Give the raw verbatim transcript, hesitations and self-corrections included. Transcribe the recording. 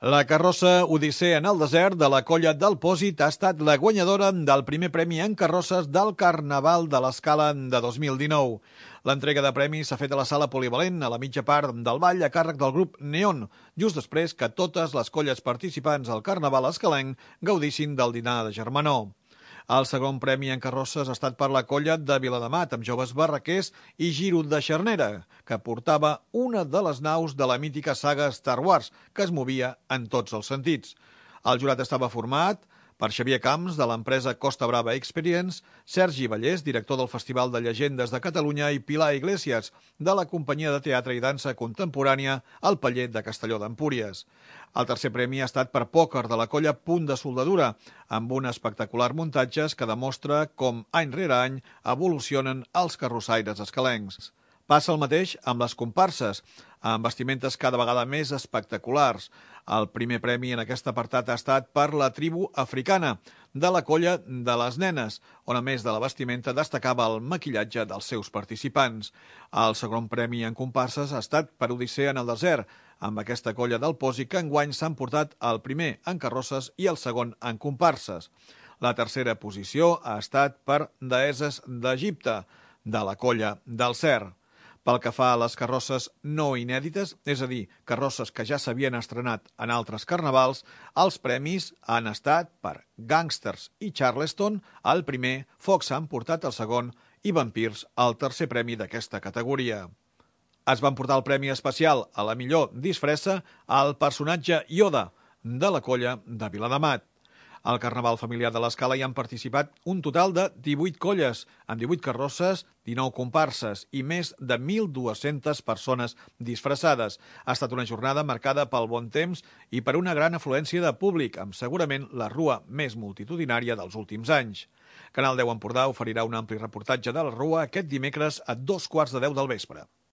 La carrossa Odissea en el desert de la Colla del Pòsit ha estat la guanyadora del primer premi en carrosses del Carnaval de l'Escala de dos mil dinou. L'entrega de premis s'ha fet a la sala polivalent a la mitja part del ball a càrrec del grup Neon, just després que totes les colles participants al Carnaval escalenc gaudissin del dinar de germanor. El segon premi en carrosses ha estat per la colla de Viladamat, amb joves barraquers i giro de xarnera, que portava una de les naus de la mítica saga Star Wars, que es movia en tots els sentits. El jurat estava format per Xavier Camps, de l'empresa Costa Brava Experience, Sergi Vallès, director del Festival de Llegendes de Catalunya, i Pilar Iglesias, de la companyia de teatre i dansa contemporània El Paller de Castelló d'Empúries. El tercer premi ha estat per pòquer de la colla Punt de Soldadura, amb un espectacular muntatges que demostra com any rere any evolucionen els carrossaires escalencs. Passa el mateix amb les comparses, amb vestimentes cada vegada més espectaculars. El primer premi en aquest apartat ha estat per la tribu africana, de la colla de les nenes, on a més de la vestimenta destacava el maquillatge dels seus participants. El segon premi en comparses ha estat per Odissea en el desert, amb aquesta colla del Pòsit que enguany s'han portat el primer en carrosses i el segon en comparses. La tercera posició ha estat per Deeses d'Egipte, de la colla del Cer. Pel que fa a les carrosses no inèdites, és a dir, carrosses que ja s'havien estrenat en altres carnavals, els premis han estat per Gangsters i Charleston, el primer, Fox han portat el segon i Vampirs el tercer premi d'aquesta categoria. Es van portar el premi especial a la millor disfressa al personatge Yoda, de la colla de Viladamat. Al Carnaval familiar de l'Escala hi han participat un total de divuit colles, amb divuit carrosses, dinou comparses i més de mil dues-centes persones disfressades. Ha estat una jornada marcada pel bon temps i per una gran afluència de públic, amb segurament la rua més multitudinària dels últims anys. Canal deu Empordà oferirà un ampli reportatge de la rua aquest dimecres a dos quarts de deu del vespre.